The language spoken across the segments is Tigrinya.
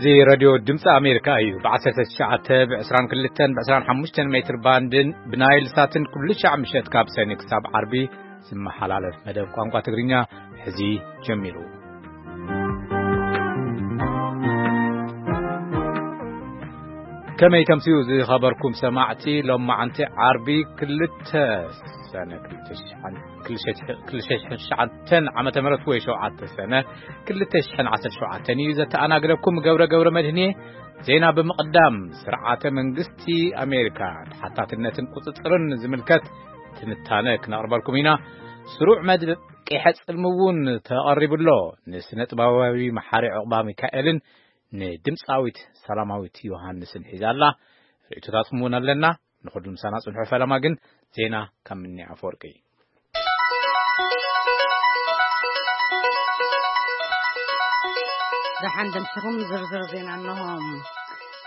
እዚ ሬድዮ ድምፂ ኣሜሪካ እዩ። ብ19፣ ብ22፣ ብ25 ሜትር ባንድን ብናይል ሳትን ኩሉ ሻዕ ምሸት ካብ ሰኒ ክሳብ ዓርቢ ዝመሓላለፍ መደብ ቋንቋ ትግርኛ ሕዚ ጀሚሩ። ከመይ ከምስዩ ዝኸበርኩም ሰማዕቲ፣ ሎማዓንቲ ዓርቢ ክልተ ሰነ ክልተ ሽሕን ክልተ ሽሕን ትሽዓተ ዓመተ ምህረት ወይ ሸውዓተ ሰነ ክልተ ሽሕን ዓሰርተ ሸውዓተን እዩ። ዘተኣናግደኩም ገብረ ገብረ መድህን እየ። ዜና ብምቕዳም፣ ስርዓተ መንግስቲ ኣሜሪካ ተሓታትነትን ቁጽጽርን ዝምልከት ትንታነ ክነቕርበልኩም ኢና። ስሩዕ መድቂሐ ጽልሚ እውን ተቐሪቡ ኣሎ። ንስነ ጥበባዊ መሓሪ ዕቑባ ሚካኤልን ንድምፃዊት ሰላማዊት ዮሃንስን ሒዛ ኣላ። ርእይቶታትኩም እውን ኣለና። ንኹሉ ምሳና ጽንሑ። ፈለማ ግን ዜና ካብ ምኒ ኣፈወርቂ። ደሓን ደምሲኹም። ዝርዝር ዜና እነሆ።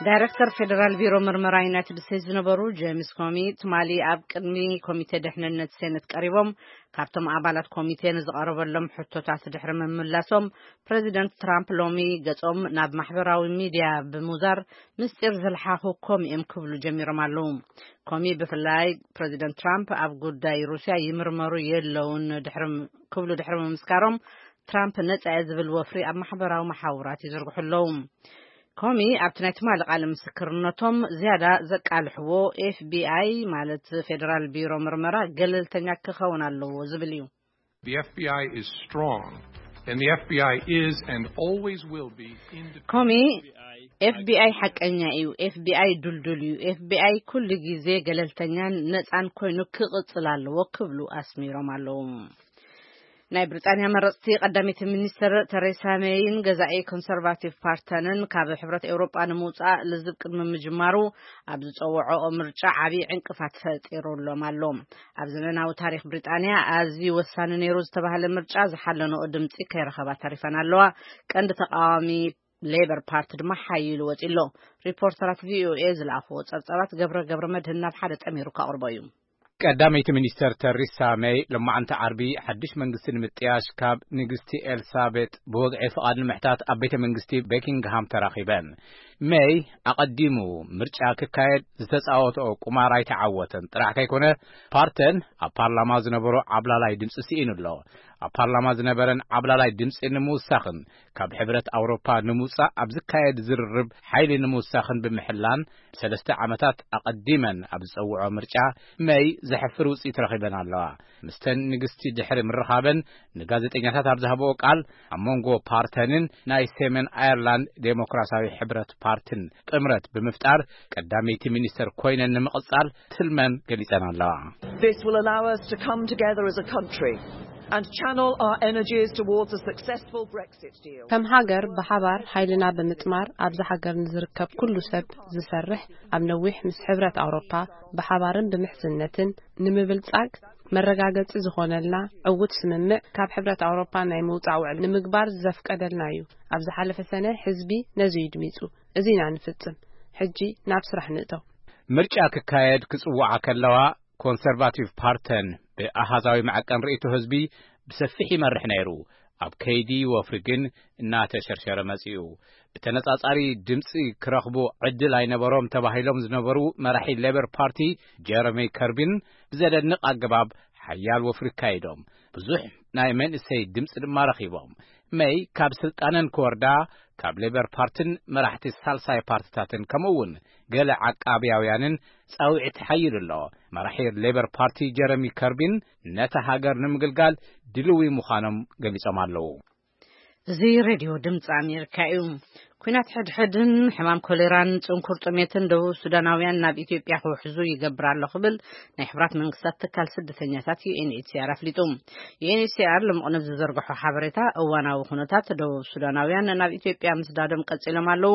ዳይሬክተር ፌደራል ቢሮ ምርመራ ዩናይትድ ስቴትስ ዝነበሩ ጄምስ ኮሚ ትማሊ ኣብ ቅድሚ ኮሚቴ ድሕንነት ሴኔት ቀሪቦም፣ ካብቶም ኣባላት ኮሚቴ ንዝቐረበሎም ሕቶታት ድሕሪ ምምላሶም፣ ፕሬዚደንት ትራምፕ ሎሚ ገጾም ናብ ማሕበራዊ ሚድያ ብምውዛር፣ ምስጢር ዝለሓኹ ኮሚ እዮም ክብሉ ጀሚሮም ኣለዉ። ኮሚ ብፍላይ ፕሬዚደንት ትራምፕ ኣብ ጉዳይ ሩስያ ይምርመሩ የለውን ድሕሪ ክብሉ ድሕሪ ምምስካሮም፣ ትራምፕ ነጻ እየ ዝብል ወፍሪ ኣብ ማሕበራዊ መሓውራት ይዝርግሑ ኣለዉ። ኮሚ ኣብቲ ናይ ትማሊ ቃለ ምስክርነቶም ዝያዳ ዘቃልሕዎ፣ ኤፍቢኣይ ማለት ፌደራል ቢሮ ምርመራ ገለልተኛ ክኸውን ኣለዎ ዝብል እዩ። The F B I is strong, and the F B I is and always will be independent. ኮሚ ኤፍቢኣይ ሓቀኛ እዩ፣ ኤፍቢኣይ ዱልዱል እዩ፣ ኤፍቢኣይ ኩሉ ግዜ ገለልተኛን ነጻን ኮይኑ ክቕጽል ኣለዎ ክብሉ ኣስሚሮም ኣለዉ። ናይ ብሪጣንያ መረጽቲ ቀዳመይቲ ሚኒስትር ተሬሳ ሜይን ገዛኢ ኮንሰርቫቲቭ ፓርተንን ካብ ሕብረት ኤውሮጳ ንምውጻእ ልዝብ ቅድሚ ምጅማሩ ኣብ ዝጸውዖኦ ምርጫ ዓቢ ዕንቅፋት ፈጢሩሎም ኣሎ። ኣብ ዘመናዊ ታሪኽ ብሪጣንያ ኣዝዩ ወሳኒ ነይሩ ዝተባህለ ምርጫ ዝሓለንኦ ድምጺ ከይረኸባ ተሪፈን ኣለዋ። ቀንዲ ተቃዋሚ ሌበር ፓርቲ ድማ ሓይሉ ወጺ ኣሎ። ሪፖርተራት ቪኦኤ ዝለኣኽዎ ጸብጻባት ገብረ ገብረ መድህን ናብ ሓደ ጠሚሩ ከቕርቦ እዩ። ቀዳመይቲ ሚኒስተር ተሪሳ ሜይ ሎማዓንቲ ዓርቢ ሓድሽ መንግስቲ ንምጥያሽ ካብ ንግስቲ ኤልሳቤጥ ብወግዒ ፍቓድ ንምሕታት ኣብ ቤተ መንግስቲ ቤኪንግሃም ተራኺበን። ሜይ ኣቐዲሙ ምርጫ ክካየድ ዝተጻወተኦ ቁማር ኣይተዓወተን ጥራሕ ከይኮነ፣ ፓርተን ኣብ ፓርላማ ዝነበሮ ዓብላላይ ድምፂ ስኢኑ ኣሎ። ኣብ ፓርላማ ዝነበረን ዓብላላይ ድምፂ ንምውሳኽን ካብ ሕብረት ኣውሮፓ ንምውፃእ ኣብ ዝካየድ ዝርርብ ሓይሊ ንምውሳኽን ብምሕላን፣ ሰለስተ ዓመታት ኣቐዲመን ኣብ ዝፀውዖ ምርጫ ሜይ ዘሕፍር ውፅኢት ረኺበን ኣለዋ። ምስተን ንግስቲ ድሕሪ ምርኻበን ንጋዜጠኛታት ኣብ ዝሃብኦ ቃል፣ ኣብ መንጎ ፓርተንን ናይ ሰሜን ኣየርላንድ ዴሞክራሲያዊ ሕብረት ፓርትን ጥምረት ብምፍጣር ቀዳመይቲ ሚኒስተር ኮይነን ንምቕጻል ትልመን ገሊጸን ኣለዋ። This will allow us to come together as a country and channel our energies towards a successful Brexit deal. ከም ሃገር ብሓባር ሓይልና ብምጥማር ኣብዛ ሃገር ንዝርከብ ኩሉ ሰብ ዝሰርሕ፣ ኣብ ነዊሕ ምስ ሕብረት ኣውሮፓ ብሓባርን ብምሕዝነትን ንምብልጻግ መረጋገጺ ዝኾነልና ዕዉት ስምምዕ ካብ ሕብረት ኣውሮፓ ናይ ምውጻእ ውዕል ንምግባር ዘፍቀደልና እዩ። ኣብ ዝሓለፈ ሰነ ህዝቢ ነዚ እዩ ድሚጹ። እዚ ኢና ንፍጽም። ሕጂ ናብ ስራሕ ንእተው። ምርጫ ክካየድ ክጽውዓ ከለዋ፣ ኮንሰርቫቲቭ ፓርተን ብኣሃዛዊ መዐቀን ርእይቶ ህዝቢ ብሰፊሕ ይመርሕ ነይሩ። ኣብ ከይዲ ወፍሪ ግን እናተሸርሸረ መጺኡ። ብተነጻጻሪ ድምጺ ክረኽቡ ዕድል ኣይነበሮም ተባሂሎም ዝነበሩ መራሒ ሌበር ፓርቲ ጀረሚ ከርቢን ብዘደንቕ ኣገባብ ሓያል ወፍሪ ኣካይዶም። ብዙሕ ናይ መንእሰይ ድምጺ ድማ ረኺቦም። መይ ካብ ስልጣነን ክወርዳ፣ ካብ ሌበር ፓርትን መራሕቲ ሳልሳይ ፓርትታትን ከምኡ እውን ገለ ዓቃብያውያንን ጻውዒት ሓይሉ ኣሎ። መራሒ ሌበር ፓርቲ ጀረሚ ከርቢን ነታ ሃገር ንምግልጋል ድልዊ ምዃኖም ገሊጾም ኣለዉ። እዚ ሬድዮ ድምፂ ኣሜሪካ እዩ። ኲናት ሕድሕድን ሕማም ኮሌራን ጽንኩር ጥሜትን ደቡብ ሱዳናውያን ናብ ኢትዮጵያ ክውሕዙ ይገብር ኣሎ ክብል ናይ ሕቡራት መንግስታት ትካል ስደተኛታት ዩ ኤን ኤች ሲ ኣር ኣፍሊጡ። ዩ ኤን ኤች ሲ ኣር ልሙቕ ንብ ዝዘርግሖ ሓበሬታ፣ እዋናዊ ኩነታት ደቡብ ሱዳናውያን ናብ ኢትዮጵያ ምስዳዶም ቀጺሎም ኣለዉ።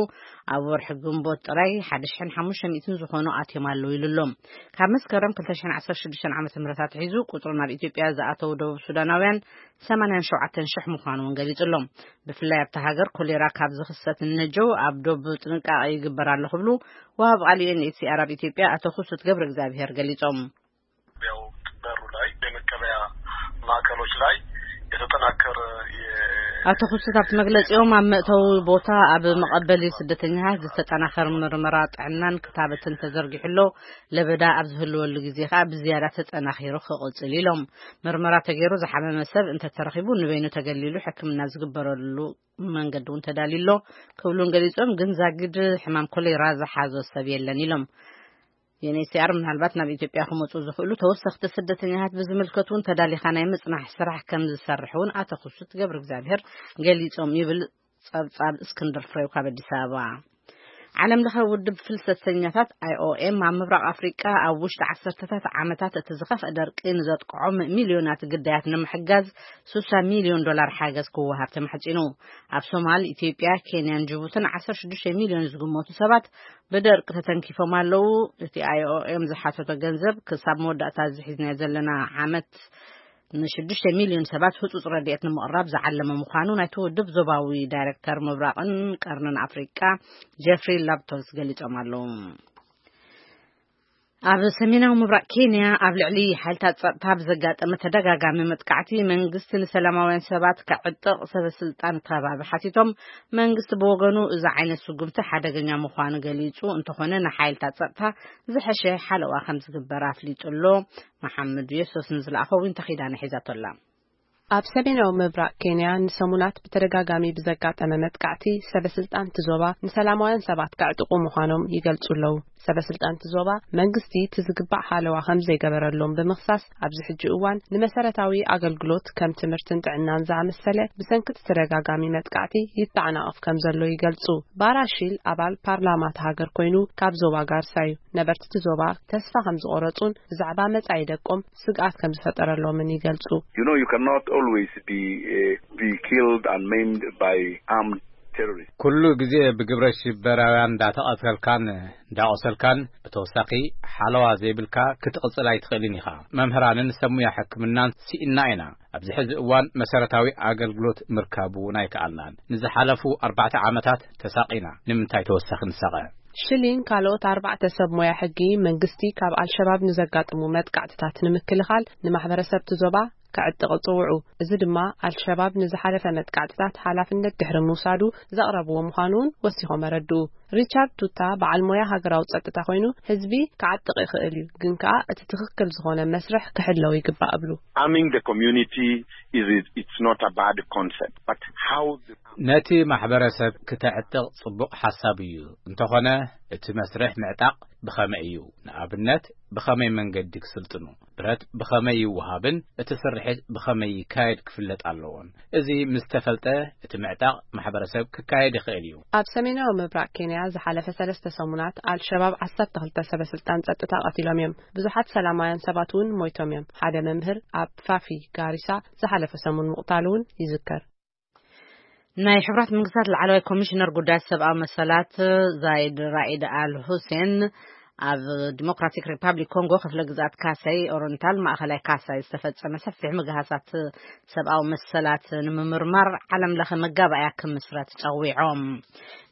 ኣብ ወርሒ ግንቦት ጥራይ ሓደ ሽሕን ሓሙሽተ ሚእትን ዝኾኑ ኣትዮም ኣለዉ ኢሉ ኣሎ። ካብ መስከረም ክልተ ሽሕን ዓሰርተ ሽዱሽተ ዓመተ ምህረት ኣትሒዙ ቁጽሩ ናብ ኢትዮጵያ ዝኣተዉ ደቡብ ሱዳናውያን ሰማንያን ሸውዓተን ሽሕ ምዃኑ እውን ገሊጹ ኣሎ። ብፍላይ ኣብታ ሃገር ኮሌራ ካብ ዝኽሰት ንነጀው ኣብ ዶብ ጥንቃቐ ይግበር ኣሎ ክብሉ ወሃብ ቃል ዩ ኤን ኤች ሲ ኣር ኣብ ኢትዮጵያ ኣቶ ክሱት ገብረ እግዚኣብሔር ገሊጾም። ያው በሩ ላይ የመቀበያ ማዕከሎች ላይ የተጠናከረ የ- ኣቶ ክሱት ኣብቲ መግለጺኦም፣ ኣብ መእተዊ ቦታ ኣብ መቐበሊ ስደተኛታት ዝተጠናኸረ ምርመራ ጥዕናን ክታበትን ተዘርጊሑ ኣሎ። ለበዳ ኣብ ዝህልወሉ ግዜ ከኣ ብዝያዳ ተጠናኺሩ ክቕጽል ኢሎም። ምርመራ ተገይሩ ዝሓመመ ሰብ እንተተረኺቡ ንበይኑ ተገሊሉ ሕክምና ዝግበረሉ መንገዲ እውን ተዳልዩ ኣሎ ክብሉን ገሊጾም፣ ግን ዛጊድ ሕማም ኮሌራ ዝሓዞ ሰብ የለን ኢሎም። ዩኤንኤችሲኣር ምናልባት ናብ ኢትዮጵያ ክመጹ ዝኽእሉ ተወሰኽቲ ስደተኛታት ብዝምልከት እውን ተዳሊኻ ናይ ምጽናሕ ስራሕ ከም ዝሰርሕ እውን ኣቶ ክሱት ገብረ እግዚኣብሔር ገሊጾም ይብል ጸብጻብ እስክንድር ፍሬው ካብ ኣዲስ ኣበባ። ዓለም ለኸ ውድብ ፍልሰተኛታት ኣይኦኤም ኣብ ምብራቕ ኣፍሪቃ ኣብ ውሽጢ ዓሰርተታት ዓመታት እቲ ዝኸፍአ ደርቂ ንዘጥቅዖም ሚልዮናት ግዳያት ንምሕጋዝ ስሳ ሚልዮን ዶላር ሓገዝ ክወሃብ ተማሕጺኑ። ኣብ ሶማል፣ ኢትዮጵያ፣ ኬንያን ጅቡትን ዓሰርተ ሽዱሽተ ሚልዮን ዝግመቱ ሰባት ብደርቂ ተተንኪፎም ኣለዉ። እቲ ኣይኦኤም ዝሓተቶ ገንዘብ ክሳብ መወዳእታ እዚ ሒዝናዮ ዘለና ዓመት ንሽዱሽተ ሚልዮን ሰባት ህጹጽ ረድኤት ንምቕራብ ዝዓለመ ምዃኑ ናይቲ ውድብ ዞባዊ ዳይሬክተር ምብራቕን ቀርንን ኣፍሪቃ ጀፍሪ ላፕቶስ ገሊጾም ኣለዉ። ኣብ ሰሜናዊ ምብራቕ ኬንያ ኣብ ልዕሊ ሓይልታት ጸጥታ ብዘጋጠመ ተደጋጋሚ መጥቃዕቲ መንግስቲ ንሰላማውያን ሰባት ከዕጥቕ ሰበ ስልጣን ከባቢ ሓቲቶም። መንግስቲ ብወገኑ እዚ ዓይነት ስጉምቲ ሓደገኛ ምዃኑ ገሊጹ፣ እንተኾነ ንሓይልታት ጸጥታ ዝሐሸ ሓለዋ ከም ዝግበር ኣፍሊጡ ኣሎ። መሓመድ የሱስ ንዝለኣኸ ዊንታ ኺዳነ ሒዛቶ ኣላ። ኣብ ሰሜናዊ ምብራቕ ኬንያ ንሰሙናት ብተደጋጋሚ ብዘጋጠመ መጥቃዕቲ ሰበ ስልጣን እቲ ዞባ ንሰላማውያን ሰባት ከዕጥቑ ምዃኖም ይገልጹ ኣለዉ። ሰበ ስልጣን እቲ ዞባ መንግስቲ እቲ ዝግባእ ሓለዋ ከም ዘይገበረሎም ብምኽሳስ ኣብዚ ሕጂ እዋን ንመሰረታዊ ኣገልግሎት ከም ትምህርትን ጥዕናን ዝኣመሰለ ብሰንኪ እቲ ተደጋጋሚ መጥቃዕቲ ይተዓናቐፍ ከም ዘሎ ይገልጹ። ባራሺል ኣባል ፓርላማ እቲ ሃገር ኮይኑ ካብ ዞባ ጋርሳ እዩ። ነበርቲ እቲ ዞባ ተስፋ ከም ዝቖረጹን ብዛዕባ መጻኢ ደቆም ስግኣት ከም ዝፈጠረሎምን ይገልጹ። You know, you cannot always be, uh, be killed and maimed by armed terrorists. ኩሉ ግዜ ብግብረ ሽበራውያን እንዳተቐተልካን እንዳቆሰልካን ብተወሳኺ ሓለዋ ዘይብልካ ክትቕጽል ኣይትኽእልን ኢኻ። መምህራንን ሰብ ሙያ ሕክምናን ስኢንና ኢና። ኣብዚ ሕዚ እዋን መሰረታዊ ኣገልግሎት ምርካብ እውን ኣይከኣልናን። ንዝሓለፉ ኣርባዕተ ዓመታት ተሳቒና። ንምንታይ ተወሳኺ ንሳቐ? ሽሊን ካልኦት ኣርባዕተ ሰብ ሞያ ሕጊ መንግስቲ ካብ ኣልሸባብ ንዘጋጥሙ መጥቃዕትታት ንምክልኻል ንማሕበረሰብ እቲ ዞባ ከዕጥቕ ጽውዑ። እዚ ድማ ኣልሸባብ ንዝሓለፈ መጥቃዕትታት ሓላፍነት ድሕሪ ምውሳዱ ዘቕረብዎ ምዃኑ እውን ወሲኾም ኣረድኡ። ሪቻርድ ቱታ በዓል ሞያ ሃገራዊ ጸጥታ ኮይኑ፣ ህዝቢ ክዓጥቕ ይኽእል እዩ፣ ግን ከኣ እቲ ትኽክል ዝኾነ መስርሕ ክሕለው ይግባእ እብሉ። Arming the community is, it's not a bad concept, but how the ነቲ ማሕበረሰብ ክተዕጥቕ ጽቡቕ ሓሳብ እዩ። እንተኾነ እቲ መስርሕ ምዕጣቕ ብኸመይ እዩ? ንኣብነት ብኸመይ መንገዲ ክስልጥኑ? ብረት ብኸመይ ይወሃብን እቲ ስርሒት ብኸመይ ይካየድ ክፍለጥ ኣለዎን። እዚ ምስ ተፈልጠ እቲ ምዕጣቕ ማሕበረሰብ ክካየድ ይኽእል እዩ። ኣብ ሰሜናዊ ምብራቕ ኬንያ ዝሓለፈ ሰለስተ ሰሙናት ኣልሸባብ ዓሰርተ ክልተ ሰበ ስልጣን ጸጥታ ቀቲሎም እዮም። ብዙሓት ሰላማውያን ሰባት እውን ሞይቶም እዮም። ሓደ መምህር ኣብ ፋፊ ጋሪሳ ዝሓለፈ ሰሙን ምቕታሉ እውን ይዝከር። ናይ ሕቡራት መንግስታት ላዕለዋይ ኮሚሽነር ጉዳያት ሰብኣዊ መሰላት ዛይድ ራኢድ ኣል ሁሴን ኣብ ዲሞክራቲክ ሪፓብሊክ ኮንጎ ክፍለ ግዝኣት ካሳይ ኦሪንታል ማእኸላይ ካሳይ ዝተፈጸመ ሰፊሕ ምግሃሳት ሰብኣዊ መሰላት ንምምርማር ዓለም ለኸ መጋባእያ ክምስረት ጸዊዖም።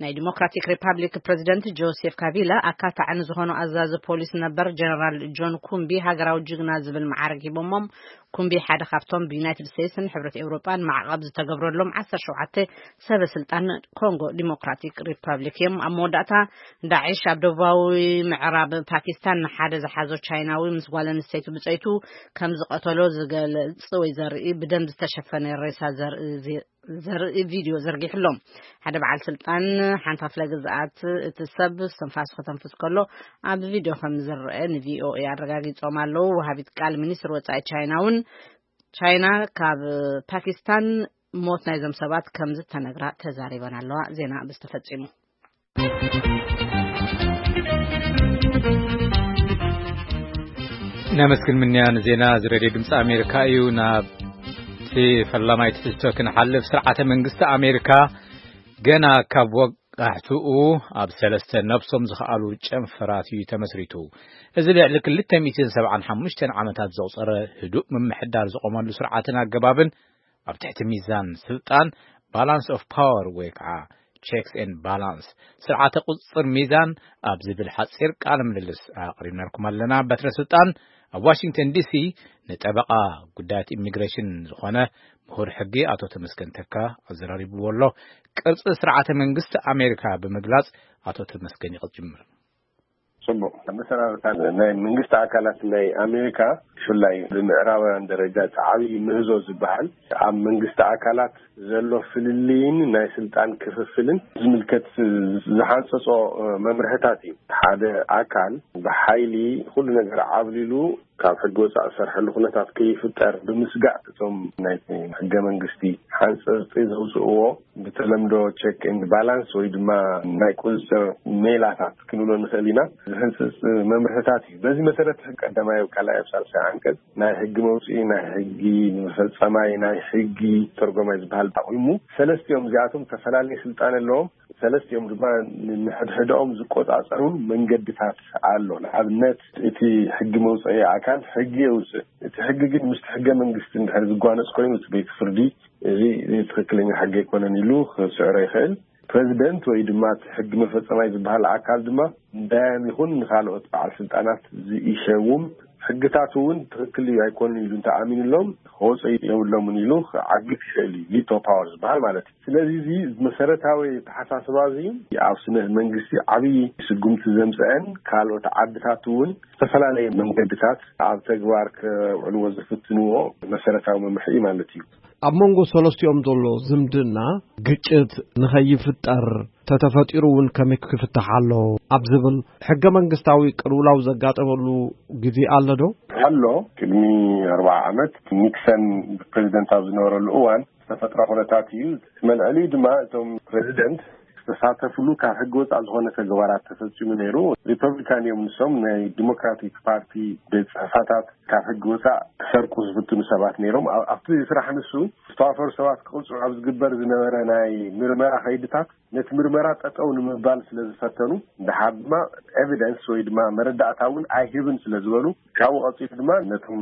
ናይ ዲሞክራቲክ ሪፓብሊክ ፕሬዚደንት ጆሴፍ ካቢላ ኣካታዒ ንዝኾኑ ኣዛዚ ፖሊስ ነበር ጀነራል ጆን ኩምቢ ሃገራዊ ጅግና ዝብል መዓርግ ሂቦሞም። ኩምቢ ሓደ ካብቶም ብዩናይትድ ስቴትስን ሕብረት ኤውሮጳን ማዕቐብ ዝተገብረሎም ዓሰርተ ሸውዓተ ሰበ ስልጣን ኮንጎ ዲሞክራቲክ ሪፓብሊክ እዮም። ኣብ መወዳእታ ዳዕሽ ኣብ ደቡባዊ ምዕራብ ፓኪስታን ንሓደ ዝሓዞ ቻይናዊ ምስ ጓል ኣንስተይቲ ብጸይቱ ከም ዝቐተሎ ዝገልጽ ወይ ዘርኢ ብደም ዝተሸፈነ ሬሳ ዘርኢ ዜ-፣ ዘርኢ ቪድዮ ዘርጊሑ ኣሎ። ሓደ በዓል ስልጣን ሓንቲ ክፍለ ግዝኣት እቲ ሰብ እስትንፋሱ ከተንፍስ ከሎ ኣብ ቪድዮ ከም ዝረአ ንቪኦኤ ኣረጋጊጾም ኣለዉ። ወሃቢት ቃል ሚኒስትር ወጻኢ ቻይና እውን ቻይና ካብ ፓኪስታን ሞት ናይዞም ሰባት ከም ዝተነግራ ተዛሪበን ኣለዋ። ዜና ብዝተፈጺሙ። ነመስግን ምንያ ንዜና እዚ ሬድዮ ድምፂ ኣሜሪካ እዩ። ናብቲ ፈላማይ ትሕዝቶ ክንሓልፍ፣ ስርዓተ መንግስቲ ኣሜሪካ ገና ካብ ወጋሕትኡ ኣብ ሰለስተ ነብሶም ዝኸኣሉ ጨንፈራት እዩ ተመስሪቱ። እዚ ልዕሊ ክልተ ሚእትን ሰብዓን ሓሙሽተን ዓመታት ዘቑፀረ ህዱእ ምምሕዳር ዝቖመሉ ስርዓትን ኣገባብን ኣብ ትሕቲ ሚዛን ስልጣን፣ ባላንስ ኦፍ ፓወር ወይ ከዓ ቼክስ ኤንድ ባላንስ፣ ስርዓተ ቁፅፅር ሚዛን ኣብ ዝብል ሓፂር ቃለ ምልልስ ኣቕሪብነልኩም ኣለና። በትረ ስልጣን ኣብ ዋሽንግተን ዲሲ ንጠበቓ ጉዳያት ኢሚግሬሽን ዝኾነ ምሁር ሕጊ ኣቶ ተመስገን ተካ ኣዘራሪብዎ ኣሎ። ቅርጺ ስርዓተ መንግስቲ ኣሜሪካ ብምግላጽ ኣቶ ተመስገን ይቕጽል ጅምር። ጽቡቕ። መሰራርታ ናይ መንግስቲ ኣካላት ናይ ኣሜሪካ፣ ብፍላይ ብምዕራባውያን ደረጃ እቲ ዓብዪ ምህዞ ዝበሃል ኣብ መንግስቲ ኣካላት ዘሎ ፍልልይን ናይ ስልጣን ክፍፍልን ዝምልከት ዝሓንጸጾ መምርሕታት እዩ። ሓደ ኣካል ብሓይሊ ኩሉ ነገር ዓብሊሉ ካብ ሕጊ ወፃእ ዝሰርሐሉ ኩነታት ከይፍጠር ብምስጋእ፣ እቶም ናይ ሕገ መንግስቲ ሓንፀፅቲ ዘውፅእዎ ብተለምዶ ቸክ ኤንድ ባላንስ ወይ ድማ ናይ ቁፅፅር ሜላታት ክንብሎ ንኽእል ኢና፣ ዝህንፅፅ መምርሕታት እዩ። በዚ መሰረት ቀዳማይ፣ ካልኣይ፣ ኣብ ሳልሳይ ዓንቀፅ ናይ ሕጊ መውፅኢ፣ ናይ ሕጊ መፈፀማይ፣ ናይ ሕጊ ተርጎማይ ዝበሃል ኣቑሙ። ሰለስቲኦም እዚኣቶም ዝተፈላለየ ስልጣን ኣለዎም። ሰለስቲኦም ድማ ንሕድሕድኦም ዝቆፃፀሩን መንገድታት ኣሎ። ንኣብነት፣ እቲ ሕጊ መውፅኢ ኣካል ሕጊ የውፅእ። እቲ ሕጊ ግን ምስቲ ሕገ መንግስቲ እንድሕር ዝጓነፅ ኮይኑ፣ እቲ ቤት ፍርዲ እዚ ትኽክለኛ ሕጊ ኣይኮነን ኢሉ ክስዕሮ ይኽእል። ፕሬዚደንት ወይ ድማ እቲ ሕጊ መፈፀማይ ዝበሃል ኣካል ድማ ንዳያን ይኹን ንካልኦት በዓል ስልጣናት ዝኢሸውም ሕግታት እውን ትኽክል እዩ ኣይኮንን ኢሉ እንተኣሚንሎም፣ ክወፀ የብሎምን ኢሉ ክዓግት ይኽእል እዩ። ቪቶ ፓወር ዝበሃል ማለት እዩ። ስለዚ፣ እዚ መሰረታዊ ኣተሓሳስባ እዚ ኣብ ስነ መንግስቲ ዓብዪ ስጉምቲ ዘምፀአን፣ ካልኦት ዓድታት እውን ዝተፈላለየ መንገድታት ኣብ ተግባር ከውዕልዎ ዝፍትንዎ መሰረታዊ መምርሒ እዩ ማለት እዩ። ኣብ መንጎ ሰለስቲኦም ዘሎ ዝምድና ግጭት ንኸይፍጠር፣ ተተፈጢሩ እውን ከመይ ክፍታሕ ኣሎ ኣብ ዝብል ሕገ መንግስታዊ ቅልውላው ዘጋጠመሉ ግዜ ኣሎ ዶ? ኣሎ። ቅድሚ ኣርባዓ ዓመት ኒክሰን ፕሬዚደንት ኣብ ዝነበረሉ እዋን ዝተፈጥረ ኩነታት እዩ። እቲ መልዕሊኡ ድማ እቶም ፕሬዚደንት ዝተሳተፍሉ ካብ ሕጊ ወፃእ ዝኾነ ተግባራት ተፈፂሙ ነይሩ። ሪፐብሊካን እዮም ንሶም፣ ናይ ዲሞክራቲክ ፓርቲ ቤት ፅሕፈታት ካብ ሕጊ ወፃእ ክሰርቁ ዝፍትኑ ሰባት ነይሮም። ኣብ- ኣብቲ ስራሕ ንሱ ዝተዋፈሩ ሰባት ክቕፅዑ ኣብ ዝግበር ዝነበረ ናይ ምርመራ ከይድታት ነቲ ምርመራ ጠጠው ንምባል ስለ ዝፈተኑ፣ ድሓር ድማ ኤቪደንስ ወይ ድማ መረዳእታ እውን ኣይህብን ስለ ዝበሉ፣ ካብኡ ቀፂሉ ድማ ነቶም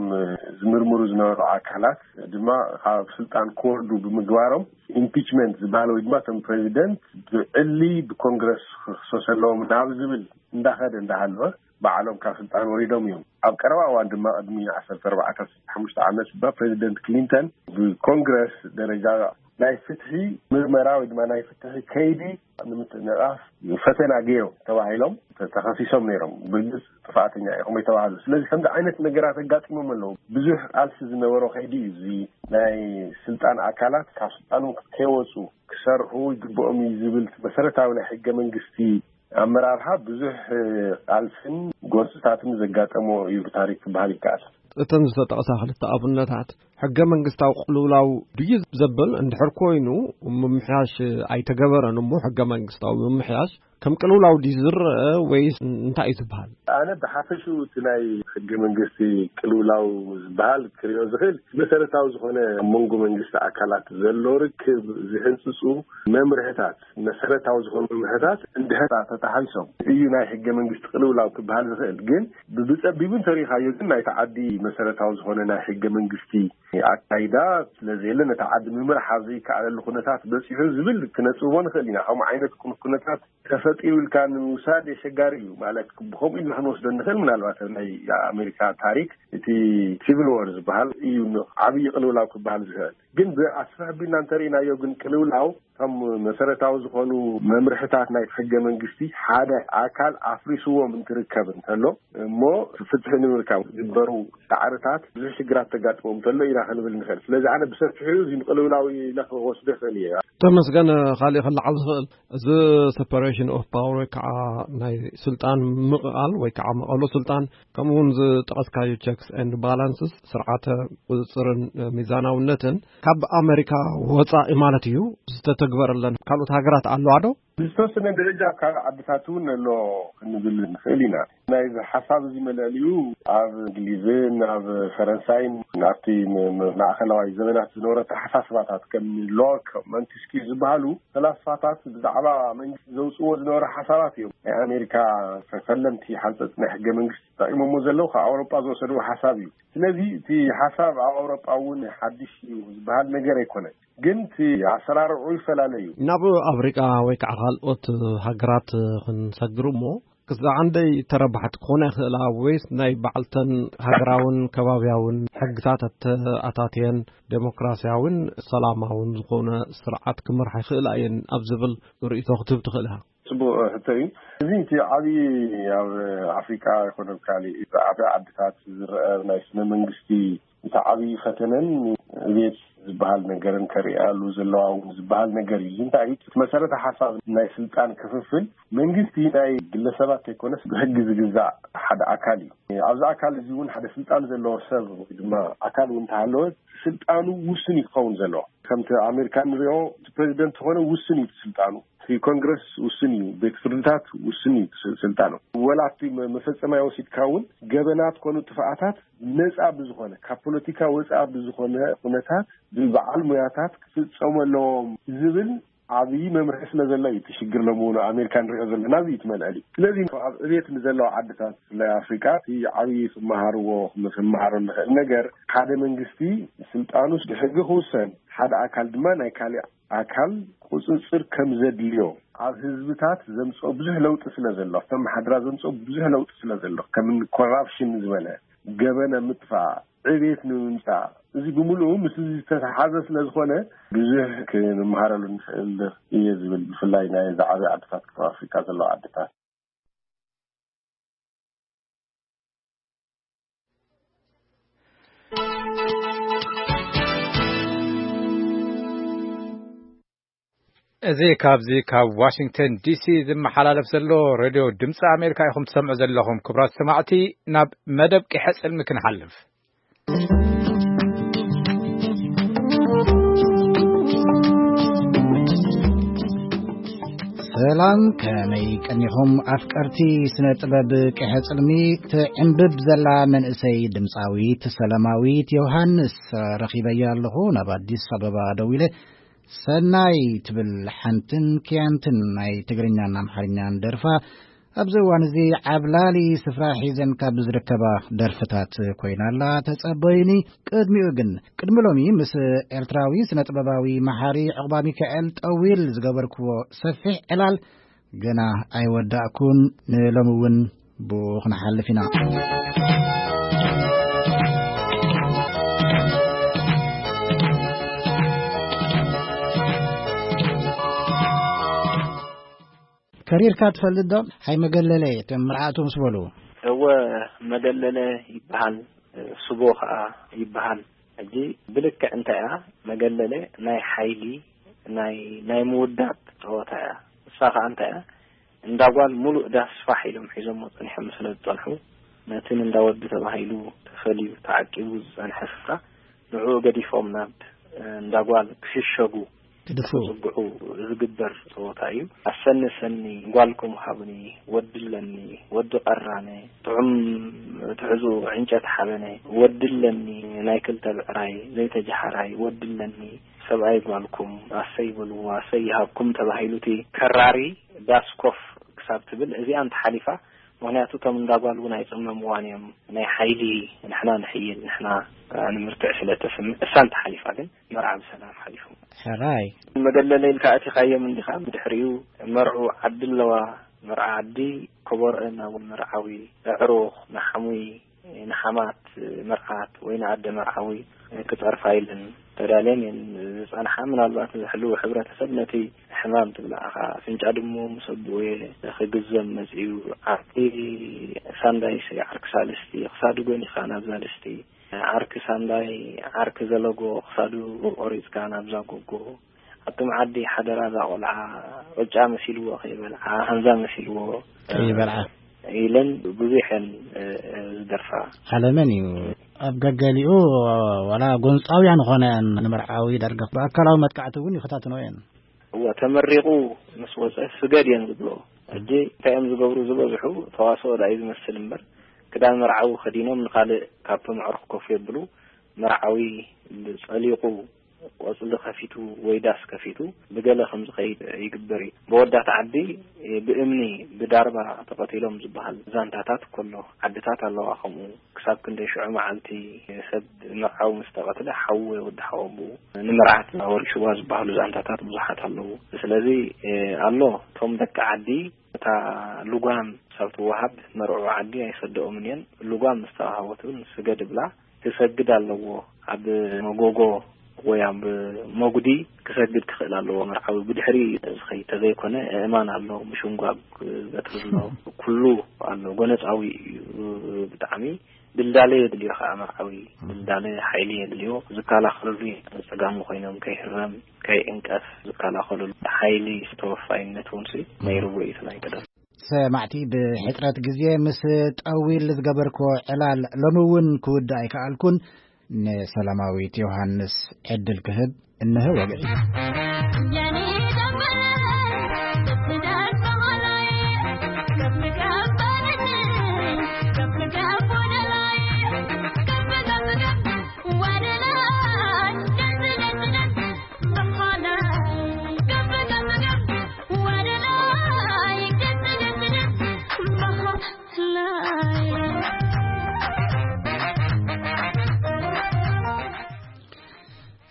ዝምርምሩ ዝነበሩ ኣካላት ድማ ካብ ስልጣን ክወርዱ ብምግባሮም፣ ኢምፒችመንት ዝበሃል ወይ ድማ እቶም ፕሬዚደንት ብዕሊ ብኮንግረስ ክኽሰሱ ኣለዎም ናብ ዝብል እንዳኸደ እንዳሃለወ፣ ባዕሎም ካብ ስልጣን ወሪዶም እዮም። ኣብ ቀረባ እዋን ድማ፣ ቅድሚ ዓሰርተ ኣርባዕተ ሓሙሽተ ዓመት፣ ባ ፕሬዚደንት ክሊንተን ብኮንግረስ ደረጃ ናይ ፍትሒ ምርመራ ወይ ድማ ናይ ፍትሒ ከይዲ ንምትእንቓፍ ፈተና ገይሮም ተባሂሎም ተ- ተኸሲሶም ነይሮም። ብርግፅ ጥፋኣተኛ ኢኹም ኣይተባህሉ። ስለዚ ከምዚ ዓይነት ነገራት ኣጋጢሞም ኣለዉ። ብዙሕ ቃልሲ ዝነበሮ ከይዲ እዩ። እዚ ናይ ስልጣን ኣካላት ካብ ስልጣኖም ከይወፁ ክሰርሑ ይግብኦም እዩ ዝብል መሰረታዊ ናይ ሕገ መንግስቲ ኣመራርሓ ብዙሕ ቃልስን ጎንፅታትን ዘጋጠሞ እዩ ብታሪክ ክበሃል ይከኣል። እተን ዝተጠቕሳ ክልተ ኣብነታት ሕገ መንግስታዊ ቅልውላው ድዩ ዘብል? እንድሕር ኮይኑ፣ ምምሕያሽ ኣይተገበረን እሞ፣ ሕገ መንግስታዊ ምምሕያሽ ከም ቅልውላው ድዩ ዝረአ ወይስ እንታይ እዩ ዝበሃል? ኣነ ብሓፈሽኡ እቲ ናይ ሕገ መንግስቲ ቅልውላው ዝበሃል ክሪኦ ዝኽእል፣ መሰረታዊ ዝኾነ ኣብ መንጎ መንግስቲ ኣካላት ዘሎ ርክብ ዝህንፅፁ መምርሕታት፣ መሰረታዊ ዝኾኑ መምርሕታት እንድሕር ተጣሒሶም እዩ ናይ ሕገ መንግስቲ ቅልውላው ክበሃል ዝኽእል። ግን ብፀቢቡ እንተሪኢኻዮ ግን ናይቲ ዓዲ መሰረታዊ ዝኾነ ናይ ሕገ መንግስቲ ኣካይዳ ስለዘየለ፣ ነታ ዓዲ ምምራሕ ኣብ ዘይከኣለሉ ኩነታት በፂሑ ዝብል ክነፅብቦ ንኽእል ኢና። ከምኡ ዓይነት ኩነታት ተፈጢሩ ኢልካ ንምውሳድ የሸጋሪ እዩ። ማለት፣ ብኸምኡ ኢልና ክንወስዶ ንኽእል። ምናልባት ኣብ ናይ ኣሜሪካ ታሪክ እቲ ሲቪል ዎር ዝበሃል እዩ ዓብዪ ቅልውላው ክበሃል ዝኽእል። ግን ብኣስፍሕ ኣቢልና እንተሪእናዮ ግን ቅልውላው ከም መሰረታዊ ዝኾኑ መምርሕታት ናይ ሕገ መንግስቲ ሓደ ኣካል ኣፍሪስዎም እንትርከብ እንተሎ፣ እሞ ፍትሒ ንምርካብ ዝግበሩ ፃዕርታት ብዙሕ ሽግራት ተጋጥሞም እንተሎ ኢና ክንብል ንኽእል። ስለዚ ኣነ ብሰፊሑ እዚ ቅልውላው ኢለ ክወስዶ ይኽእል እየ። ተመስገን፣ ካሊእ ክለዓል ዝኽእል፣ እዚ ሰፓሬሽን ኦፍ ፓወር ወይ ከዓ ናይ ስልጣን ምቕቓል ወይ ከዓ መቐሎ ስልጣን፣ ከምኡ እውን ዝጠቐስካዮ ቸክስ ኤንድ ባላንስስ፣ ስርዓተ ቁፅፅርን ሚዛናውነትን፣ ካብ ኣሜሪካ ወፃኢ ማለት እዩ፣ ዝተተግበረለን ካልኦት ሃገራት ኣለዋ ዶ? ብዝተወሰነ ደረጃ ኣብ ካልእ ዓድታት እውን ኣሎ ክንብል ንኽእል ኢና። ናይዚ ሓሳብ እዚ መለሊኡ ኣብ እንግሊዝን ኣብ ፈረንሳይን ኣብቲ ም- ም- ማእኸላዋይ ዘመናት ዝነበረ ኣተሓሳስባታት ከም ሎክ፣ ሞንቴስኪዩ ዝበሃሉ ፈላስፋታት ብዛዕባ መንግስቲ ዘውፅዎ ዝነበሩ ሓሳባት እዮም ናይ ኣሜሪካ ፈለምቲ ሓንፀፅቲ ናይ ሕገ መንግስቲ ተጠቂሞሞ ዘለዉ ካብ ኣውሮጳ ዝወሰድዎ ሓሳብ እዩ። ስለዚ እቲ ሓሳብ ኣብ ኣውሮጳ እውን ሓድሽ እዩ ዝበሃል ነገር ኣይኮነን። ግን እቲ ኣሰራርዑ ይፈላለ እዩ። ናብ ኣፍሪቃ ወይ ከዓ ካልኦት ሃገራት ክንሰግር እሞ ክሳዕ እንደይ ተረባሕቲ ክኾና ይኽእላ ወይስ ናይ ባዕልተን ሃገራውን ከባብያውን ሕግታት ኣተኣታትየን ዴሞክራሲያውን ሰላማውን ዝኾነ ስርዓት ክመርሓ ይኽእላ እየን ኣብ ዝብል ርእይቶ ክትህብ ትኽእል ኢኻ? ጽቡቕ ሕቶ እዩ። እዚ እቲ ዓብዪ ኣብ ኣፍሪቃ ይኹን ኣብ ካልእ ዓቢ ዓድታት ዝረአ ናይ ስነ መንግስቲ እቲ ዓብዪ ፈተነን ዕብየት ዝበሃል ነገርን ከርእያሉ ዘለዋ እውን ዝበሃል ነገር እዩ። እዚ እንታይ እዩ? እቲ መሰረተ ሓሳብ ናይ ስልጣን ክፍፍል መንግስቲ ናይ ግለሰባት ዘይኮነስ ብሕጊ ዝግዛእ ሓደ ኣካል እዩ። ኣብዚ ኣካል እዚ እውን ሓደ ስልጣን ዘለዎ ሰብ ወይ ድማ ኣካል እውን እንተሃለወ ስልጣኑ ውሱን እዩ ክኸውን ዘለዎ። ከምቲ ኣሜሪካ ንሪኦ እቲ ፕሬዚደንት ዝኾነ ውሱን እዩ እቲ ስልጣኑ። እቲ ኮንግረስ ውሱን እዩ፣ ቤት ፍርድታት ውሱን እዩ ስ-፣ ስልጣኑ። ወላ ኣብቲ መ-፣ መፈጸማይ ወሲድካ እውን ገበናት ኮኑ ጥፍኣታት ነጻ ብዝኾነ፣ ካብ ፖለቲካ ወጻ ብዝኾነ ኩነታት ብበዓል ሙያታት ክፍጸሙ ኣለዎም ዝብል ዓብዪ መምርሒ ስለ ዘሎ እዩ እቲ ሽግር ሎሚ እውን ኣሜሪካ ንሪኦ ዘለና እዚ እዩ እቲ መልዕሊ። ስለዚ ኣብ ዕቤት ንዘለዋ ዓድታት ብፍላይ ኣፍሪቃ እቲ ዓብዪ ክመሃርዎ ክመሃሮ ንኽእል ነገር ሓደ መንግስቲ ስልጣኑ ብሕጊ ክውሰን ሓደ ኣካል ድማ ናይ ካሊእ ኣካል ቁጽጽር ከም ዘድልዮ ኣብ ህዝብታት ዘምጽኦ ብዙሕ ለውጢ ስለ ዘሎ ኣብቶም መሓድራ ዘምጽኦ ብዙሕ ለውጢ ስለ ዘሎ ከም ኮራፕሽን ዝበለ ገበነ ምጥፋእ ዕቤት ንምምጻእ እዚ ብምሉኡ ምስ ዝተተሓዘ ስለ ዝኾነ ብዙሕ ክንመሃረሉ ንኽእል እየ ዝብል ብፍላይ ናይ ዝዓበዩ ዓድታት ከም ኣፍሪካ ዘለዋ ዓድታት። እዚ ካብዚ ካብ ዋሽንግተን ዲሲ ዝመሓላለፍ ዘሎ ሬድዮ ድምፂ ኣሜሪካ ኢኹም ትሰምዑ ዘለኹም። ክቡራት ሰማዕቲ፣ ናብ መደብ ቂሐ ፅልሚ ክንሓልፍ። ሰላም፣ ከመይ ቀኒኹም ኣፍቀርቲ ስነ ጥበብ? ቂሐ ጽልሚ ትዕንብብ ዘላ መንእሰይ ድምጻዊት ሰላማዊት ዮሃንስ ረኺበያ ኣለኹ። ናብ ኣዲስ ኣበባ ደዊለ ሰናይ ትብል ሓንትን ክያንትን ናይ ትግርኛን ኣምሓርኛን ደርፋ ኣብዚ እዋን እዚ ዓብላሊ ስፍራ ሒዘን ካብ ዝርከባ ደርፍታት ኮይና ኣላ። ተጸበዩኒ። ቅድሚኡ ግን፣ ቅድሚ ሎሚ ምስ ኤርትራዊ ስነ ጥበባዊ መሓሪ ዕቑባ ሚካኤል ጠዊል ዝገበርክዎ ሰፊሕ ዕላል ገና ኣይወዳእኩን። ንሎሚ እውን ብኡ ክንሓልፍ ኢና። ከሪርካ ትፈልጥ ዶ? ሓይ መገለለ፣ እቶም መርዓቱ ምስ በሉ። እወ፣ መገለለ ይበሃል፣ ስቦ ኸኣ ይበሃል። ሕጂ ብልክዕ እንታይ እያ? መገለለ ናይ ሓይሊ፣ ናይ፣ ናይ ምውዳብ ጸወታ እያ። እሳ ኸኣ እንታይ እያ? እንዳ ጓል ሙሉእ ዳስ ፋሕ ኢሎም ሒዞሞ ጸኒሖም ስለ ዝጸንሑ፣ ነቲ እንዳ ወዲ ተባሂሉ ተፈልዩ ተዓቂቡ ዝጸንሐ ስፍራ ንዕኡ ገዲፎም ናብ እንዳ ጓል ክሽሸጉ ክድፍኡ። ክጽግዑ ዝግበር ጸወታ እዩ። ኣሰኒ ሰኒ ጓልኩም ሃቡኒ፣ ወዲ ኣለኒ፣ ወዲ ቀራነ፣ ጥዑም ትሕዙ ዕንጨት ሓበነ፣ ወዲ ኣለኒ ናይ ክልተ ብዕራይ ዘይተጀሓራይ፣ ወዲ ኣለኒ ሰብኣይ ጓልኩም፣ ኣሰይ በልዎ፣ ኣሰይ ይሃብኩም ተባሂሉ እቲ ከራሪ ዳስ ኮፍ ክሳብ ትብል እዚኣ እንተሓሊፋ፣ ምኽንያቱ እቶም እንዳ ጓል እውን ኣይጽመምዋን እዮም። ናይ ሓይሊ ንሕና ንሕይል፣ ንሕና ንምርትዕ ስለ እተስምዕ፣ እሳ እንተሓሊፋ ግን መርዓ ብሰላም ሓሊፉ። ሕራይ። መገለለ ኢልካ ኣቲኻዮም እንዲኻ፣ ብድሕሪኡ መርዑ ዓዲ ኣለዋ። መርዓ ዓዲ ከበሮአን ናብ መርዓዊ፣ ኣዕሩኽ፣ ንሓሙይ፣ ንሓማት መርዓት ወይ ንኣደ መርዓዊ ክጸርፋ ኢለን ተዳልየን እየን ዝጸንሓ። ምናልባት እዚ ሕሉው ሕብረተሰብ ነቲ ሕማም ትብላዕኻ ኣፍንጫ ድሙ ምስ ኣቦኡየ ክግዘም መጺኡ። ዓርኪ ሳንዳይስ ዓርኪ ሳልስቲ ክሳዱ ጎኒኻ ናብዛ ድስቲ፣ ዓርኪ ሳንዳይ ዓርኪ ዘለጎ ክሳዱ ቆሪጽካ ናብዛ ጎጎ። ኣቱም ዓዲ ሓደራ እዛ ቆልዓ ቅጫ መሲልዎ ከይበልዓ፣ ሃንዛ መሲልዎ ከይበልዓ። ኢለን ብዙሕ እየን፣ እ፣ እ፣ ዝደርፋ። ዓለመን እዩ። ኣብ ገገሊኡ ዋላ ጎንጻውያን ኾነ እየን ንመርዓዊ ዳርጋ ብኣካላዊ መጥቃዕቲ እውን ይፈታትኖ እየን። እወ፣ ተመሪቑ ምስ ወጸ ስገድ እየን ዝብሎ። ሕጂ እንታይ እዮም ዝገብሩ ዝበዝሑ? ተዋስኦ ዳኣ እዩ ዝመስል እምበር፣ ክዳን መርዓዊ ከዲኖም ንኻልእ ካብቶም ኣዕሩኽ ኮፍ የብሉ። መርዓዊ ጸሊቑ ቆጽሊ ከፊቱ ወይ ዳስ ከፊቱ ብገለ ከም ዝኸይድ ይግበር እዩ። ብወዳት ዓዲ ብእምኒ ብዳርባ ተቐቲሎም ዝበሃል ዛንታታት ከሎ ዓድታት ኣለዋ። ከምኡ ክሳብ ክንደይ ሽዑ መዓልቲ ሰብ መርዓዊ ምስ ተቐትለ ሓዉ ወይ ወዲ ሓወቦኡ ንመርዓት ወሪስዋ ዝበሃሉ ዛንታታት ብዙሓት ኣለዉ። ስለዚ ኣሎ፣ እቶም ደቂ ዓዲ እታ ልጓም ሳብ ትወሃብ መርዑ ዓዲ ኣይሰደኦምን እየን። ልጓም ምስ ተዋሃቦት እውን ስገድ ብላ ክሰግድ ኣለዎ። ኣብ መጎጎ ወይ ኣብ መጉዲ ክሰግድ ክኽእል ኣለዎ መርዓዊ። ብድሕሪ ዝኸይድ ተዘይኮነ፣ እማን ኣሎ፣ ምሽንጓብ ክገትር ኣሎ፣ ኩሉ ኣሎ። ጎነጻዊ እዩ ብጣዕሚ። ድልዳለ የድልዮ ከዓ መርዓዊ። ድልዳለ ሓይሊ የድልዮ። ዝከላኸልሉ ጸጋሙ ኮይኖም ከይህረም፣ ከይዕንቀፍ ዝከላኸልሉ ሓይሊ፣ ተወፋይነት እውን ሲ ነይርዎ እዩ እቲ ናይ ቀደም። ሰማዕቲ፣ ብሕጽረት ግዜ ምስ ጠዊል ዝገበርክዎ ዕላል ሎሚ እውን ክውድእ ኣይከኣልኩን። ንሰላማዊት ዮሃንስ ዕድል ክህብ እንሆ ወግዒ።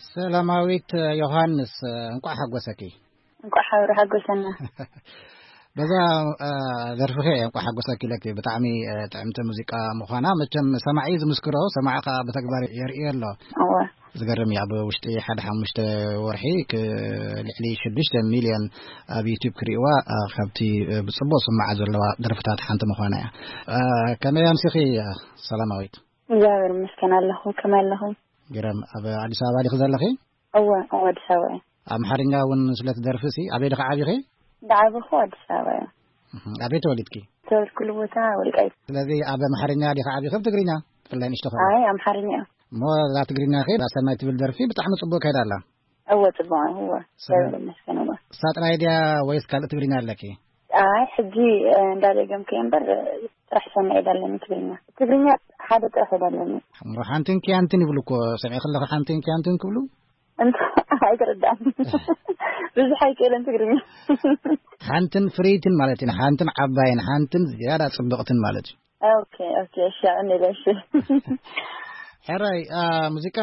ሰላማዊት ዮሃንስ፣ እንቋዕ ሓጎሰኪ። እንቋዕ ሓብሩ ሓጎሰና። በዛ፣ እ፣ ደርፍኺ እንቋዕ ሓጎሰኪ ኢለኪ። ብጣዕሚ፣ እ፣ ጥዕምቲ ሙዚቃ ምዃና መቸም ሰማዒ ዝምስክሮ፣ ሰማዒ ከኣ ብተግባር የርእዮ ኣሎ። እወ። ዝገርም እዩ። ኣብ ውሽጢ ሓደ ሓሙሽተ ወርሒ ክ-፣ ልዕሊ ሽዱሽተ ሚልዮን ኣብ ዩቱብ ክርእይዋ፣ እ፣ ካብቲ፣ እ፣ ብጽቡቕ ዝስምዓ ዘለዋ ደርፍታት ሓንቲ ምዃና እያ። እ፣ ከመይ ኣምሲኺ፣ እ፣ ሰላማዊት? እግዚኣብሔር ይመስገን ኣለኹ። ከመይ ኣለኹም? ግርም፣ ኣብ ኣዲስ ኣበባ ዲኺ ዘለኺ? እወ፣ እወ፣ ኣዲስ ኣበባ እየ። ኣምሓርኛ እውን ስለ ትደርፊ ሲ፣ ኣበይ ዲኺ ዓቢኺ? ዝዓበኹ ኣዲስ ኣበባ እየ። እህ፣ ኣበይ ተወሊድኪ? ተወልድኩሉ ቦታ ወልቃይት። ስለዚ ኣብ ኣምሓርኛ ዲኺ ዓቢኺ፣ ኣብ ትግርኛ? ብፍላይ ንእሽቶ ከኣ። ኣይ፣ ኣምሓርኛ እየ። እሞ እዛ ትግርኛኺ፣ እዛ ሰናይ ትብል ደርፊ ብጣዕሚ ጽቡቕ ከይዳ ኣላ። እወ፣ ጽቡቕ እየ፣ እወ። ስለ-፣ እግዚኣብሔር ይመስገን፣ እወ። እሳ ጥራይ ድያ ወይስ ካልእ ትግርኛ ኣለኪ? ኣይ፣ ሕጂ፣ እ፣ እንዳደገምኩ እየ እምበር፣ እ፣ ጥራሕ ሰናይ ዳለኒ ትግርኛ። ትግርኛ ሓደ ጥራሕ ዳለኒ። ሓንትን ኪያንትን ይብሉ እኮ፣ ሰሚዐ ከለኹ ሓንትን ኪያንትን ክብሉ? እንተ-፣ ኣይተረዳእን። ብዙሕ ኣይክእልን ትግርኛ። ሓንትን ፍርይትን ማለት እዩ። ሓንትን ዓባይን፣ ሓንትን ዝያዳ ጽብቕትን ማለት እዩ። ኦኬ፣ ኦኬ፣ እሺ፣ ኣቐኒለ፣ እሺ። ሕራይ፣ አ፣ ሙዚቃ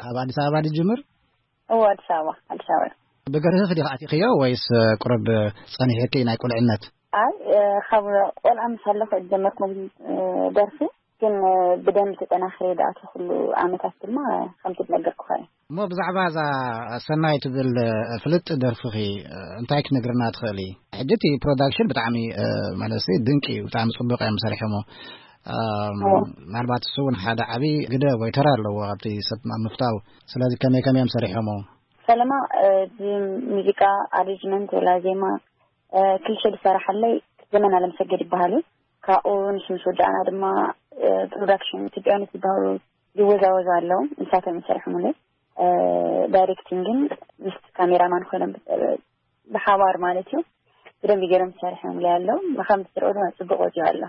ኣብ ኣዲስ ኣበባ ድጅምር? እወ፣ ኣዲስ ኣበባ፣ ኣዲስ ኣበባ። ብገርህፍ ዲኻ ኣቲኽዮ ወይስ ቁሩብ ጸኒሕኪ ናይ ቁልዕነት? ኣይ፣ እ፣ ካብ ቆልዓ ምስ ኣለኹ እየ ዝጀመርኩ፣ እ፣ ደርፊ፣ ግን፣ እ፣ ብደንቢ ተጠናኺረ ዝኣተኹሉ ዓመታት ድማ ከምቲ ዝነገርኩኻ እዩ። እሞ ብዛዕባ እዛ ሰናይ ትብል፣ እ፣ ፍልጥ ደርፍኺ፣ እ፣ እንታይ ክትነግርና ትኽእሊ? ሕጂ እቲ ፕሮዳክሽን ብጣዕሚ፣ እ፣ ማለት ድንቂ እዩ፣ ብጣዕሚ ጽቡቕ እዮም ሰሪሖሞ። ኣም፣ እዎ። ምናልባት እሱ እውን ሓደ ዓቢ ግደ ወይ ተራ ኣለዎ ኣብቲ ሰብ ኣብ ምፍታው። ስለዚ ከመይ ከመይ እዮም ሰሪሖሞ? ፈለማ፣ እ፣ እዚ ሙዚቃ ኣሬንጅመንት ወላ ዜማ፣ እ፣ ክልተ ዝሰራሓለይ ዘመን ኣለምሰገድ ይበሃል እዩ። ካብኡ ንሱ ምስ ወዳእና ድማ፣ እ፣ ፕሮዳክሽን ኢትዮጵያውያን ዝበሃሉ ይወዛወዙ ኣለዉ። ንሳቶም እዮም ሰሪሖምለይ። እ፣ ዳይሬክቲንግን ምስ ካሜራማን ኮይኖም፣ እ፣ ብሓባር ማለት እዩ። ብደንቢ ገይሮም ሰሪሖምለይ ኣለዉ። ከም ትሪኦ ድማ ጽቡቕ ወጺኡ ኣሎ።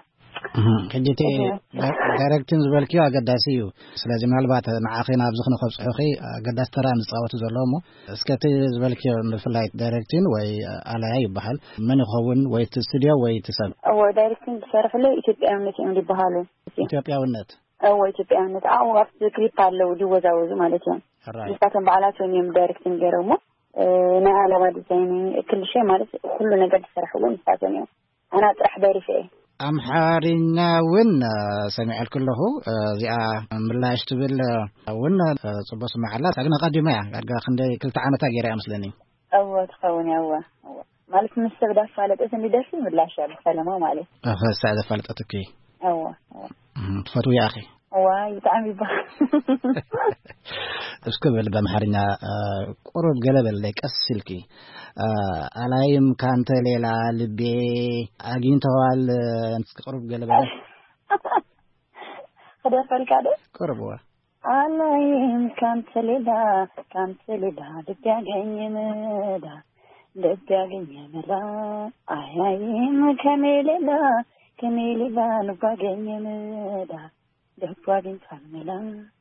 እህ፣ ሕጂ እቲ እህ። ዳ-፣ ዳይሬክቲንግ ዝበልክዮ ኣገዳሲ እዩ። ስለዚ ምናልባት ንዓኺ ናብዚ ንኸብጽሑኺ ኣገዳሲ ተራ እዮም ዝጻወቱ ዘለዉ እሞ፣ እስከ እቲ ዝበልክዮ ብፍላይ ዳይሬክቲንግ ወይ ኣላያ ይበሃል፣ መን ይኸውን ወይ እቲ ስቱድዮ ወይ እቲ ሰብ? እዎ፣ ዳይሬክቲንግ ዝሰርሕለይ ኢትዮጵያውነት እዮም ዝበሃሉ። ኢትዮጵያውነት? እዎ፣ ኢትዮጵያውነት። ኣብኡ ኣብቲ ክሊፕ ኣለዉ ዝወዛወዙ ማለት እዮም። ሕራይ። ንሳቶም ባዕላቶም እዮም ዳይሬክቲንግ ገይሮሞ። እ፣ ናይ ኣለባ ዲዛይን፣ ክልሸ ማለት ኩሉ ነገር ዝሰርሕዎ ንሳቶም እዮም። ኣና ጥራሕ ደሪፈ እየ። ኣምሓርኛ እውን፣ እ፣ ሰሚዐልኪ ኣለኹ። እ፣ እዚኣ ምላሽ ትብል፣ እ፣ እውን፣ እ፣ ጽቡቅ ስምዓ ኣላ። ሳግና ቀዲማ እያ። ዳርጋ ክንደይ ክልተ ዓመታ ገይራ እያ መስለኒ። እወ፣ ትኸውን እያ። እወ፣ እወ። ማለት ምስ ሰብ ዳፋለጠት እንዲ ደርፊ ምላሽ እያ ብፈለማ ማለት። እኸ፣ እሳ እያ ዘፋለጠትኪ። እወ፣ እወ። እም፣ ትፈትውያ ኣኺ? ዋይ፣ ብጣዕሚ ይባህ። እስኪ በል ብኣምሓርኛ፣ እ፣ ቁሩብ ገለ በለይ ቀስ ኢልኪ። እ፣ ኣላይም ካንተ ሌላ ልቤ ኣግኝተዋል፣ እ፣ እስኪ ቁሩብ ገለ በለ። ክደርፈልካ ዶ? ቁሩብ፣ እዋ። ኣላይም ካንተ ሌላ፣ ካንተ ሌላ ልቤ ያገኘ መላ፣ ልቤ ያገኘ መላ። ኣያይም ከኔ ሌላ፣ ከኔ ሌላ ልቤ ያገኘ መላ፣ ልቤ ያገኘ መላ።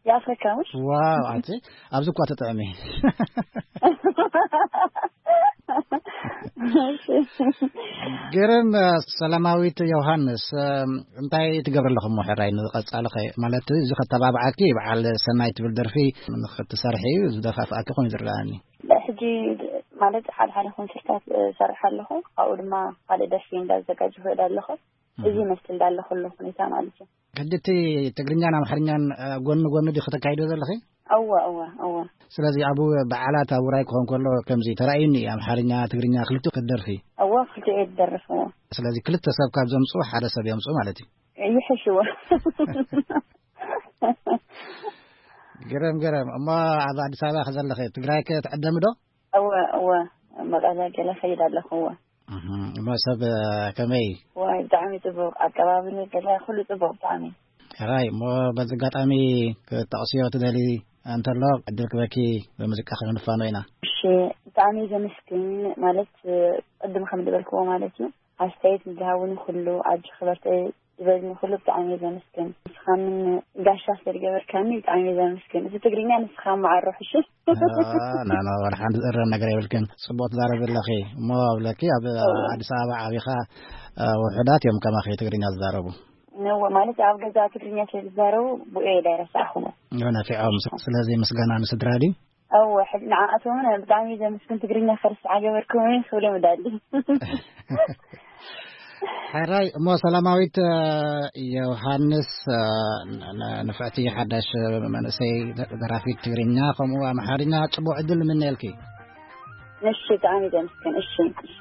የኣፍሪካ ውሽ? ዋው፣ ኣቲ ኣብዚ እኳ ተጠዕሚ። እሺ። ግርም፣ ሰላማዊት ዮሃንስ፣ እንታይ ትገብሪ ኣለኹ እሞ ሕራይ ንቐጻሊ ኸ-፣ ማለት እዚ ከተባብዓኪ በዓል ሰናይ ትብል ደርፊ ንኽትሰርሒ ዝደፋፍኣኪ ኮይኑ ዝረኣኒ? ሕጂ ማለት ሓደ ሓደ ኮንሰርታት እሰርሕ ኣለኹ። ካብኡ ድማ ካልእ ደርፊ እንዳዘጋጀኹ እሄድ ኣለኹ። እዚ ይመስል እንዳለኹ ኣሎ ሁኔታ ማለት እዩ። ሕጂ እቲ ትግርኛን ኣምሓርኛን፣ እ፣ ጎኒ ጎኒ ዲኺ ተካይዶ ዘለኺ? እወ፣ እወ፣ እወ። ስለዚ ኣብ በዓላት ኣብ ውራይ ክኾን ከሎ ከምዚ ተራእዩኒ፣ ኣምሓርኛ፣ ትግርኛ ክልቲኡ ክትደርፊ? እወ፣ ክልቲኡ እየ ዝደርፍ፣ እወ። ስለዚ ክልተ ሰብ ካብ ዘምጽኡ ሓደ ሰብ የምጽኡ ማለት እዩ። ይሕሽ፣ እወ። ገረም፣ ገረም። እሞ ኣብ ኣዲስ ኣበባ ከ ዘለኺ፣ ትግራይ ከ ትዕደሚ ዶ? እወ፣ እወ። መቐለ ገለ ከይድ ኣለኹ፣ እወ። እህ፣ እሞ ሰብ፣ እ፣ ከመይ? ዋይ፣ ብጣዕሚ ጽቡቕ ኣቀባብላ ገለ፣ ኩሉ ጽቡቕ ብጣዕሚ። ሕራይ፣ እሞ በዚ ኣጋጣሚ ክትጠቕስዮ ትደሊ እንተሎ፣ ዕድል ክበኪ ብሙዚቃ ክንፋኖ ኢና። እሺ፣ ብጣዕሚ ዘመስግን፣ ማለት፣ ቅድም ከም ዝበልክዎ ማለት እዩ፣ ኣስተያየት ንዝሃቡኒ ኩሉ፣ ኣጆኺ በርትዒ ዝበሉኒ ኩሉ ብጣዕሚ እየ ዘመስግን። ንስኻ ምን ጋሻ ስለ ዝገበርካኒ ብጣዕሚ እየ ዘመስግን። እቲ ትግርኛ ንስኻ መዓሮ፣ ሕሺ? አ፣ ና፣ ና፣ ዋላ ሓንቲ ዝእረም ነገር የብልክን። ጽቡቕ ትዛረቢ ኣለኺ። እሞ ኣብለኪ፣ ኣብ እወ። ኣዲስ ኣበባ ዓቢኻ፣ አ፣ ውሑዳት እዮም ከማኺ ትግርኛ ዝዛረቡ። እወ፣ ማለት ኣብ ገዛ ትግርኛ ስለ ዝዛረቡ፣ ብኡ እየ ዳይረሳዕኹሞ። እወ፣ ነፊዖም። ስለዚ ምስጋና ንስድራ ድዩ? እወ፣ ሕጂ ንዓኣቶም እውን ብጣዕሚ ዘመስግን፣ ትግርኛ ከርስዓ ገበርኩምኒ ክብሎም እዳሊ። ሕራይ፣ እሞ ሰላማዊት፣ እ፣ ዮሃንስ፣ እ፣ ን-፣ ን-፣ ንፍዕቲ ሓዳሽ መንእሰይ ደራፊት ትግርኛ ከምኡ ኣምሓርኛ ጽቡቕ ዕድል ንምነየልኪ። እሺ፣ ብጣዕሚ ዘመስግን። እሺ፣ እሺ።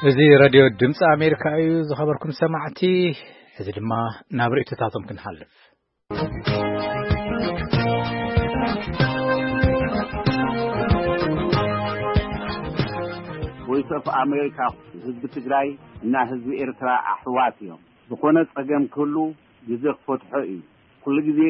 እዚ ሬድዮ ድምፂ ኣሜሪካ እዩ። ዝኸበርኩም ሰማዕቲ፣ ሕዚ ድማ ናብ ርእይቶታቶም ክንሓልፍ። ቮይስ ኦፍ ኣሜሪካ፣ ህዝቢ ትግራይ እና ህዝቢ ኤርትራ ኣሕዋት እዮም። ዝኾነ ጸገም ክህሉ ግዜ ክፈትሖ እዩ። ኩሉ ግዜ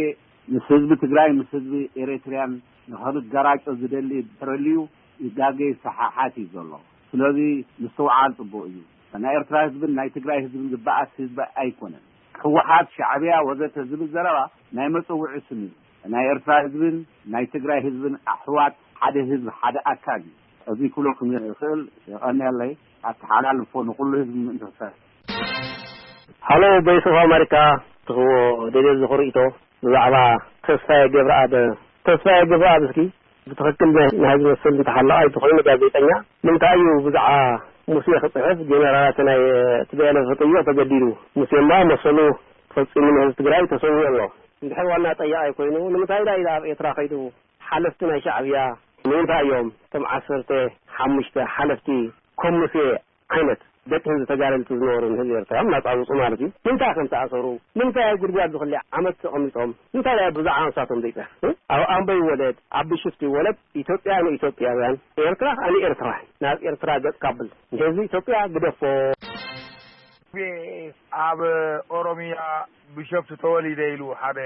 ምስ ህዝቢ ትግራይ፣ ምስ ህዝቢ ኤሪትሪያን ንኸንገራጮ ዝደሊ ድሕረልዩ ይጋገ ይሰሓሓት እዩ ዘሎ። ስለዚ ምስትውዓል ጽቡቕ እዩ። ናይ ኤርትራ ህዝብን ናይ ትግራይ ህዝብን ዝበኣስ ህዝቢ ኣይኮነን። ህወሓት፣ ሻዕብያ ወዘተ ዝብል ዘረባ ናይ መጸውዒ ስም እዩ። ናይ ኤርትራ ህዝብን ናይ ትግራይ ህዝብን ኣሕዋት ሓደ ህዝቢ ሓደ ኣካል እዩ። እዚ ክብለኩም ይኽእል። የቐንየለይ። ኣተሓላልፎ ንኹሉ ህዝቢ ምእንቲ ክሰርሕ። ሃሎ፣ ቮይስ ኦፍ ኣሜሪካ፣ ትህቦ ደልየ ዝኽሪ ርእይቶ ብዛዕባ ተስፋዬ ገብረኣብ። ተስፋዬ ገብረኣብ እስኪ ብትኽክል ናይ፣ ናይ ዝመስል እንተሃለዋ ኣይትኾይኑ ጋዜጠኛ፣ ንምንታይ እዩ ብዛዕባ ሙሴ ክጽሕፍ ጀነራላት ናይ ቲ ቢ ኤል ኤፍ ክጥይቕ ተገዲዱ? ሙሴ እማ መሰሉ ፈጺሙ ንህዝቢ ትግራይ ተሰዊኡ ኣሎ። እንድሕር ዋና ጠያቕ ኣይኮይኑ ንምንታይ ዳ ኢለ ኣብ ኤርትራ ከይዱ? ሓለፍቲ ናይ ሻዕብያ ንምንታይ እዮም እቶም ዓሰርተ ሓሙሽተ ሓለፍቲ ከም ሙሴ ዓይነት ደቂ ህዝቢ ተጋደልቲ ዝነበሩ ንህዝቢ ኤርትራ ናጻ ዝወጹ ማለት እዩ። ንምንታይ ከም ተኣሰሩ፣ ንምንታይ ኣብ ጉድጓድ ዝኽሊ ዓመት ተቐሚጦም፣ እንታይ ደኣ ብዛዕባ ንሳቶም ዘይጽሕፍ? ኣብ ኣምቦ ይወለድ፣ ኣብ ቢሾፍቱ ይወለድ፣ ኢትዮጵያ ንኢትዮጵያውያን፣ ኤርትራ ከኣ ንኤርትራውያን። ናብ ኤርትራ ገጽካ ኣብል። ንህዝቢ ኢትዮጵያ ግደፎ። ኣብ ኦሮሚያ ቢሾፍቱ ተወሊደ ኢሉ ሓደ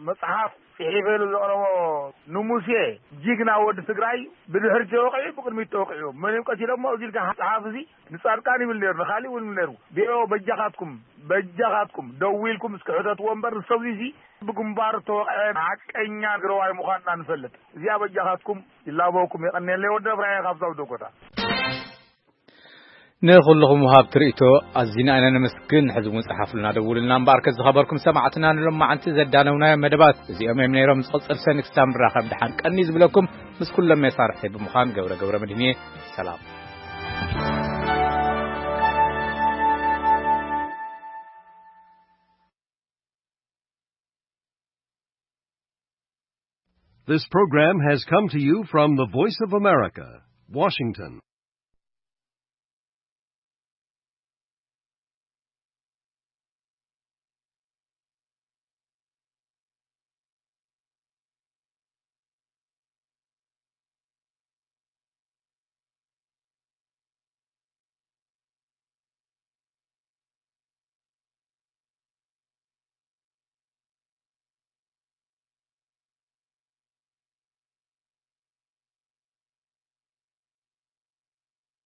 መጽሓፍ ጽሒፈ ኢሉ ዘቕረቦ ንሙሴ ጅግና ወዲ ትግራይ ብድሕሪት ተወቂዑ ብቅድሚት ተወቂዑ መን እዮም ቀቲሎሞ እዚ ኢልካ ጸሓፊ እዚ ንጻድቃን ይብል ነይሩ፣ ንኻልእ እውን ይብል ነይሩ። ቢኦ በጃኻትኩም፣ በጃኻትኩም ደው ኢልኩም እስኪ ሕተትዎ እምበር ንሰብ እዚ ብግንባር ተወቕዐ ሓቀኛ ትግራዋይ ምዃንና ንፈልጥ። እዚኣ በጃኻትኩም ይላበወኩም። የቐንየለይ ወዲ እብራሂም ካብ ሳውዲ ኮታ። ንኹልኹም ወሃብቲ ርእይቶ ኣዚና ኢና ነመስግን። ሕዚ እውን ጸሓፉልና፣ ደውሉልና እምበኣር። ከዝኸበርኩም ሰማዕትና ንሎማዓንቲ ዘዳነውናዮ መደባት እዚኦም እዮም ነይሮም። ዝቕጽል ሰኒ ክሳብ ንራኸብ ደሓን ቀኒ ዝብለኩም ምስ ኩሎም መሳርሕተይ ብምዃን ገብረ ገብረ መድህን እየ። ሰላም። This program has come to you from the Voice of America, Washington.